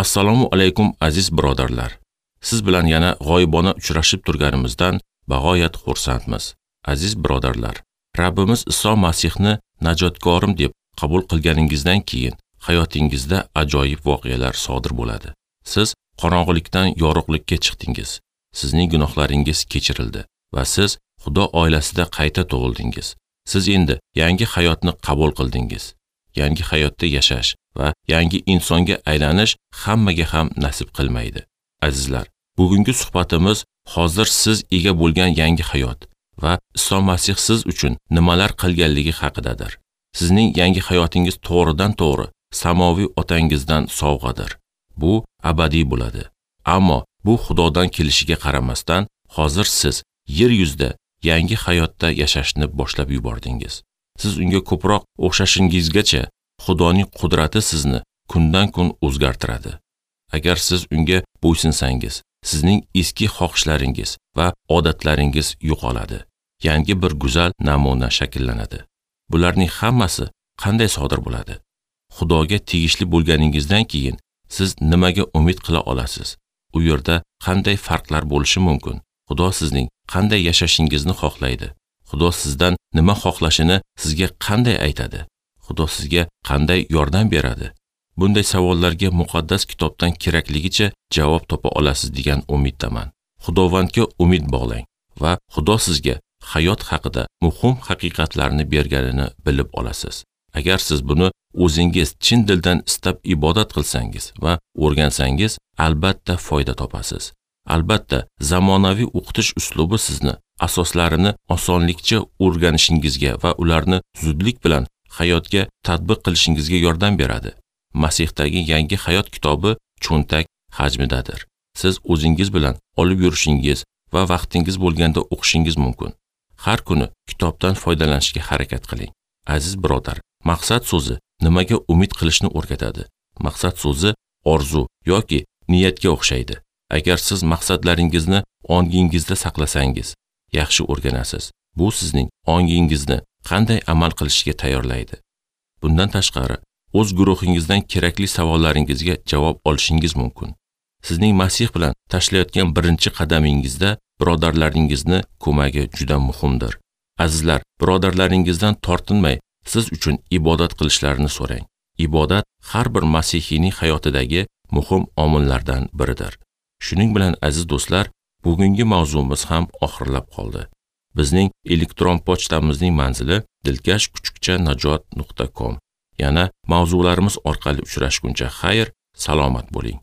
Assalomu alaykum aziz birodarlar. Siz bilan yana g'oyibona uchrashib turganimizdan bag'oyat xursandmiz. Aziz birodarlar, Rabbimiz Iso Masihni najotkorim deb qabul qilganingizdan keyin hayotingizda ajoyib voqealar sodir bo'ladi. Siz qorong'ulikdan yorug'likka chiqdingiz. Sizning gunohlaringiz kechirildi va siz Xudo oilasida qayta tug'ildingiz. Siz endi yangi hayotni qabul qildingiz. Yangi hayotda yashash va yangi insonga aylanish hammaga ham nasib qilmaydi. Azizlar, bugungi suhbatimiz hozir siz ega bo'lgan yangi hayot va Iso Masih siz uchun nimalar qilganligi haqidadir. Sizning yangi hayotingiz to'g'ridan-to'g'ri samoviy otangizdan sovg'adir. Bu abadiy bo'ladi. Ammo bu Xudodan kelishiga qaramasdan, hozir siz yer yuzida yangi hayotda yashashni boshlab yubordingiz. Siz unga ko'proq o'xshashingizgacha Xudoning qudrati sizni kundan-kun o'zgartiradi. Agar siz unga bo'ysunsangiz, sizning eski xohishlaringiz va odatlaringiz yo'qoladi. Yangi bir go'zal namuna shakllanadi. Bularning hammasi qanday sodir bo'ladi? Xudoga tegishli bo'lganingizdan keyin siz nimaga umid qila olasiz? U yerda qanday farqlar bo'lishi mumkin? Xudo sizning qanday yashashingizni xohlaydi? Xudo sizdan nima xohlashini sizga qanday aytadi? Xudo sizga qanday yordam beradi? Bunday savollarga muqaddas kitobdan kerakligicha javob topa olasiz degan umiddaman. Xudovandga umid bog'lang va Xudo sizga hayot haqida muhim haqiqatlarni berganini bilib olasiz. Agar siz buni o'zingiz chin dildan istab ibodat qilsangiz va o'rgansangiz, albatta foyda topasiz. Albatta, zamonaviy o'qitish uslubi sizni asoslarini osonlikcha o'rganishingizga va ularni zudlik bilan hayotga tatbiq qilishingizga yordam beradi. Masihdagi yangi hayot kitobi cho'ntak hajmidadir. Siz o'zingiz bilan olib yurishingiz va vaqtingiz bo'lganda o'qishingiz mumkin. Har kuni kitobdan foydalanishga harakat qiling. Aziz birodar, maqsad so'zi nimaga umid qilishni o'rgatadi. Maqsad so'zi orzu yoki niyatga o'xshaydi. Agar siz maqsadlaringizni ongingizda saqlasangiz, yaxshi o'rganasiz. Bu sizning ongingizni qanday amal qilishga tayyorlaydi. Bundan tashqari, o'z guruhingizdan kerakli savollaringizga javob olishingiz mumkin. Sizning Masih bilan tashlayotgan birinchi qadamingizda birodarlaringizni ko'magi juda muhimdir. Azizlar, birodarlaringizdan tortinmay, siz uchun ibodat qilishlarini so'rang. Ibodat har bir masihiyning hayotidagi muhim omillardan biridir. Shuning bilan aziz do'stlar, bugungi mavzumiz ham oxirlab qoldi. Bizning elektron pochtamizning manzili dilkash@najot.com. Yana mavzularimiz orqali uchrashguncha xayr, salomat bo'ling.